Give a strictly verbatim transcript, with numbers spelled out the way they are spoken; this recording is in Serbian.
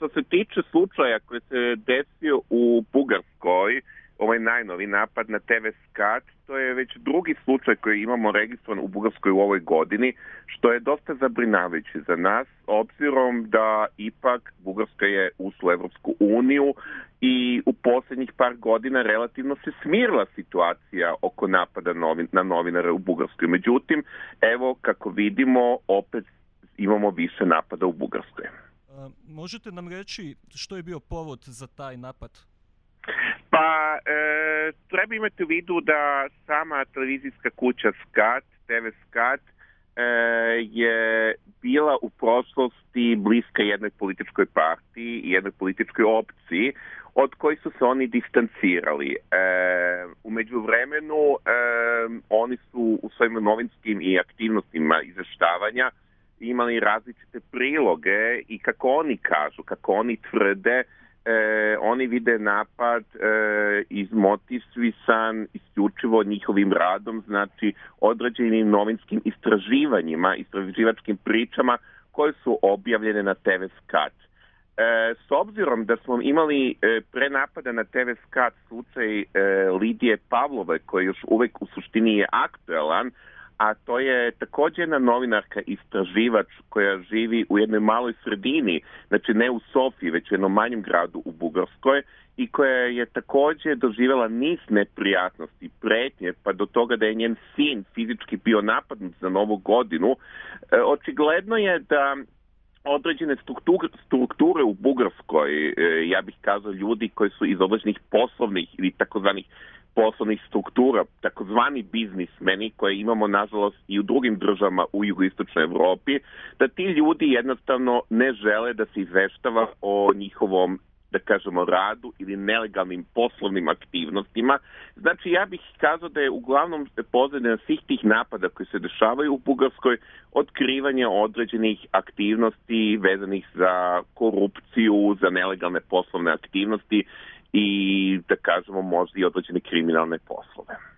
što se tiče slučaja koji se desio u Bugarskoj, ovaj najnovi napad na te ve Skat, to je već drugi slučaj koji imamo registrovan u Bugarskoj u ovoj godini, što je dosta zabrinjavajuće za nas, obzirom da ipak Bugarska je ušla u Evropsku uniju i u posljednjih par godina relativno se smirila situacija oko napada novin, na novinare u Bugarskoj. Međutim, evo kako vidimo, opet imamo više napada u Bugarskoj. A, možete nam reći što je bio povod za taj napad? Pa, e, treba imati u vidu da sama televizijska kuća Skat, te ve Skat, e, je bila u prošlosti bliska jednoj političkoj partiji i jednoj političkoj opciji od kojih su se oni distancirali. E, u međuvremenu e, oni su u svojim novinskim i aktivnostima izveštavanja imali različite priloge i kako oni kažu, kako oni tvrde, E, oni vide napad e, izmotivisan isključivo njihovim radom, znači određenim novinskim istraživanjima, istraživačkim pričama koje su objavljene na te ve Skat. E, s obzirom da smo imali e, pre napada na te ve Skat slučaj e, Lidije Pavlove, koji još uvek u suštini je aktuelan, a to je također jedna novinarka istraživač koja živi u jednoj maloj sredini, znači ne u Sofiji, već u jednom manjem gradu u Bugarskoj i koja je također doživjela niz neprijatnosti, pretnje, pa do toga da je njen sin fizički bio napadnut za Novu godinu. E, očigledno je da određene strukture, strukture u Bugarskoj, e, ja bih kazao ljudi koji su iz određenih poslovnih ili takozvanih poslovnih struktura, takozvani biznismeni koje imamo nažalost i u drugim državama u jugoistočnoj Evropi, da ti ljudi jednostavno ne žele da se izveštava o njihovom, da kažemo, radu ili nelegalnim poslovnim aktivnostima. Znači, ja bih kazao da je uglavnom pozadina svih tih napada koji se dešavaju u Bugarskoj otkrivanje određenih aktivnosti vezanih za korupciju, za nelegalne poslovne aktivnosti i, da kažemo, možda i određene kriminalne poslove.